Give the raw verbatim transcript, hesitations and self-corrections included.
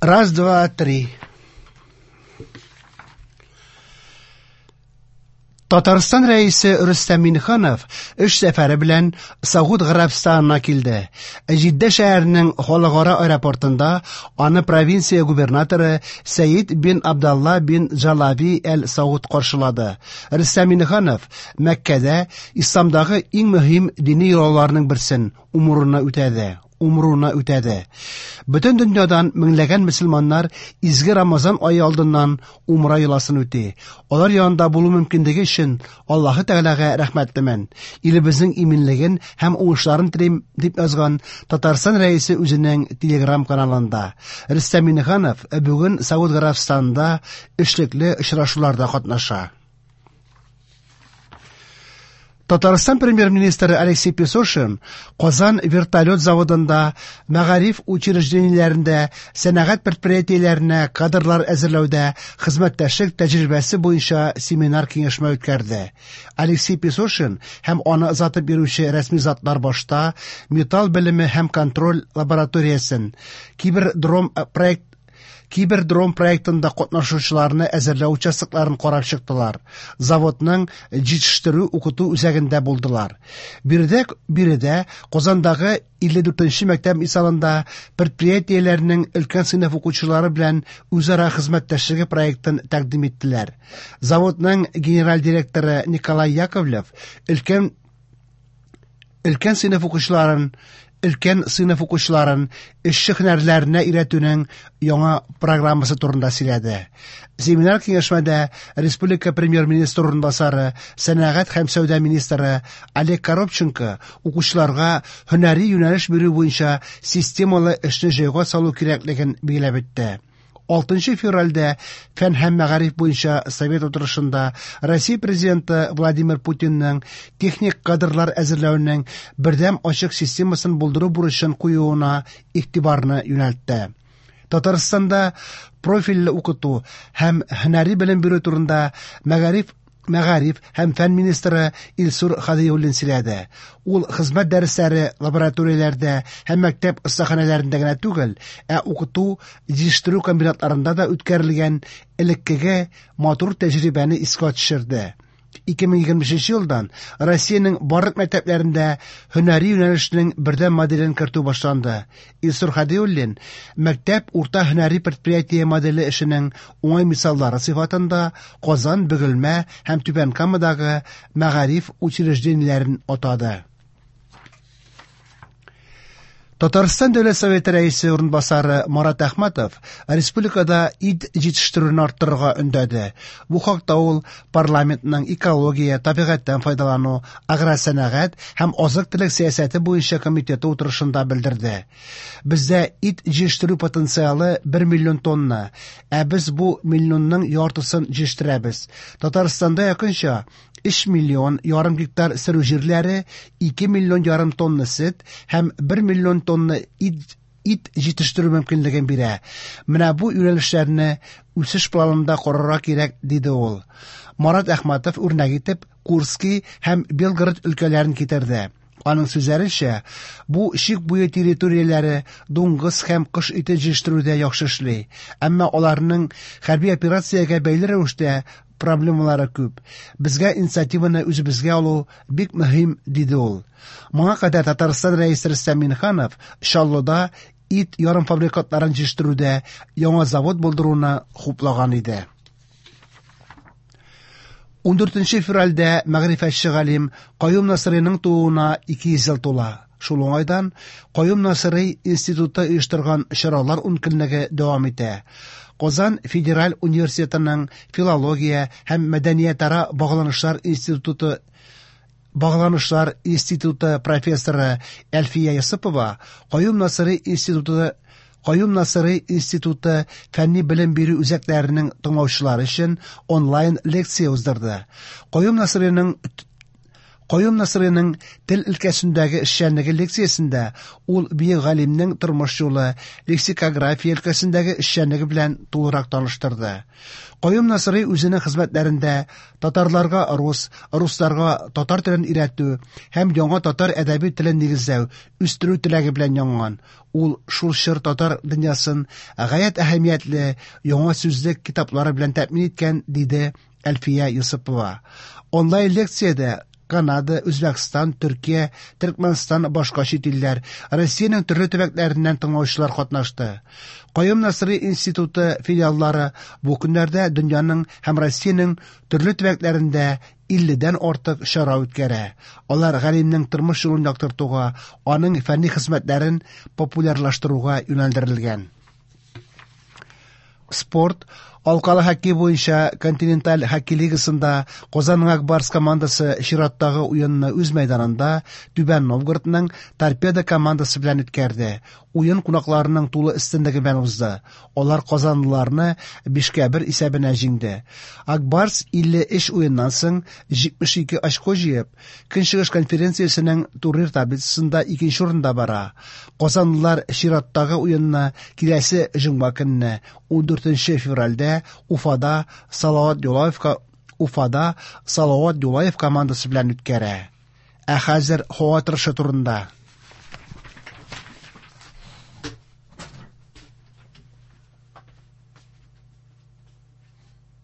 Раз, два, три. Татарстан рәисе Рөстәм Миңнеханов эш сәфәре белән Сауд Гарәбстанына килде. Җиддә шәһәренең халыкара аэропортында аны провинция губернаторы Сәид бин Абдалла бин Джалави әл-Сауд каршылады. Рөстәм Миңнеханов Мәккәдә исламдагы иң мөһим дини йолаларның берсен умруны үтәде. Умруны үтәде. Бөтен дөньядан меңләгән мөселманнар изге Рамазан ае алдыннан умра йоласын үти. Алар янында булу мөмкинлеге өчен Аллаһы Тәгаләгә рәхмәтлемен. Илебезнең иминлеген һәм уңышларын телим, дип язган Татарстан рәисе үзенең Телеграм каналында. Рөстәм Миңнеханов бүген Сауд Гарәбстанында эшлекле очрашуларда катнаша. Татарстан премьер-министры Алексей Песошин Казан вертолет заводында, мәгариф учреждениеләрендә, сәнәгать предприятиеләренә кадрлар әзерләүдә хезмәттәшлек тәҗрибәсе буенча семинар киңәшмә үткәрде. Алексей Песошин һәм аны озатып йөрүче рәсми затлар башта металл белеме һәм контроль лабораториясен, кибердром проект Кибердром проектында катнашучыларны әзерләү участокларын карап чыктылар. Заводның җитештерү укыту үзәгендә булдылар. Биредә, биредә Казандагы илле дүртенче мәктәп мисалында предприятиеләрнең өлкән сыйныф укучылары белән үзара хезмәттәшлеге проектын тәкъдим иттеләр. Заводның генераль директоры Николай Яковлев өлкән өлкән сыйныф укучыларын өлкән сыйныф укучыларын эшче һөнәрләренә өйрәтүнең яңа программасы турында сөйләде. Семинар киңәшмәдә республика премьер-министры урынбасары, сәнәгать һәм сәүдә министры Олег Коробченко укучыларга һөнәри юнәлеш бирү буенча системалы эшне җайга салу кирәклеген билгеләп үтте. Алтынчы февральдә фән һәм мәгариф буенча совет утырышында Россия президенты Владимир Путинның техник кадрлар әзерләүнең бердәм ачык системасын булдыру бурычын куюына игътибарны юнәлтте. Татарстанда профильле укыту һәм һөнәри белем бирү турында мәгариф Мәгариф һәм фән министры Илсур Хадиуллин сөйләде. Ул хезмәт дәресләре лабораторияләрдә һәм мәктәп остаханәләрендә генә түгел, ә укыту, җитештерү комбинатларында да үткәрелгән элеккеге матур тәҗрибәне искә төшерде. ике мең егерме бишенче елдан Россиянең барлык мәктәпләрендә һөнәри юнәлешнең бердәм моделен кертү башланды. Илсур Хадиуллин мәктәп урта һөнәри предприятие моделе эшенең уңай мисаллары сыйфатында Казан, Бөгелмә һәм Түбән Камадагы мәгариф учреждениеләрен атады. Татарстан Дәүләт Советы рәисе урынбасары Марат Әхмәтов республикада ит җитештерүне арттырырга өндәде. Бу хакта ул парламентның экология, табигатьтән файдалану, агросәнәгать һәм азык-төлек сәясәте буенча комитеты утырышында белдерде. Бездә ит җитештерү потенциалы бер миллион тонна, ә без бу миллионның яртысын җитештерәбез. Татарстанда якынча өч миллион ярым гектар сөрү җирләре, ике миллион ярым тонна сөт һәм бер миллион тонна ит, ит җитештерү мөмкинлеген бирә. Менә бу юнәлешләрне үсеш планында карарга кирәк, диде ул. Марат Әхмәтов үрнәк итеп Курский һәм Белгород өлкәләрен китерде. Аның сүзләренчә, бу чик буе территорияләре дуңгыз һәм кош ите җитештерүдә яхшы эшли, әмма аларның хәрби операциягә бәйле рәвештә проблемалары күп. Безгә инициативаны үзебезгә алу бик мөһим, диде ул. Моңа кадәр Татарстан рәисе Рөстәм Миңнеханов Чаллыда ит ярымфабрикатларын җитештерүдә яңа завод булдыруны хуплаган иде. Ундүртенче февральдә мәгърифәтче галим Каюм Насыйриның тууына ике йөз ел тула. Шул уңайдан Каюм Насыйри институты оештырган чаралар ункөнлеге дәвам итә. Казан федераль университетының филология һәм мәдәниятара багланышлар институты багланышлар институты профессоры Әлфия Йосыпова Каюм Насыйри институты Каюм Насыйри институты фәнни белем бирү үзәкләренең тыңлаучылары өчен онлайн лекция уздырды. Каюм Насыйриның Каюм Насыйриның тел өлкәсендәге эшчәнлеге лекциясендә ул бөек галимнең тормыш юлы, лексикография өлкәсендәге эшчәнлеге белән тулырак таныштырды. Каюм Насыйри үзенең хезмәтләрендә татарларга рус, русларга татар телен өйрәтү һәм яңа татар әдәби телен нигезләү, үстерү теләге белән янган. Ул шул чор татар дөньясын гаять әһәмиятле яңа сүзлек китаплары белән тәэмин иткән, диде Әлфия Йосыпова. Онлайн лекциядә Канада, Үзбәкстан, Төркия, Төркмәнстан, башка чит илләр, Россиянең төрле төбәкләреннән тыңлаучылар катнашты. Каюм Насыйри институты филиаллары бу көннәрдә дөньяның һәм Россиянең төрле төбәкләрендә илледән артык чара үткәрә. Алар галимнең тормыш юлын яктыртуга, аның фәнни хезмәтләрен популярлаштыруга юнәлдерелгән. Спорт. Алкалы хоккей буенча Континенталь хоккей лигасында Казанның Ак Барс командасы чираттагы уенны үз мәйданында Түбән Новгородның Торпедо командасы белән үткәрде. Уен кунакларының тулы өстенлеге белән узды. Алар казанлыларны бишкә бер исәбенә җиңде. Ак Барс илле өч уеннан соң җитмеш ике очко җыеп, Көнчыгыш конференциясенең турнир таблицасында икенче урында бара. Казанлылар чираттагы уенны киләсе җомга көнне ундүртенче февральдә Уфада Салават Юлаевка Уфада Салават Юлаев командасы белән үткәрә. Ә хәзер һава торышы турында.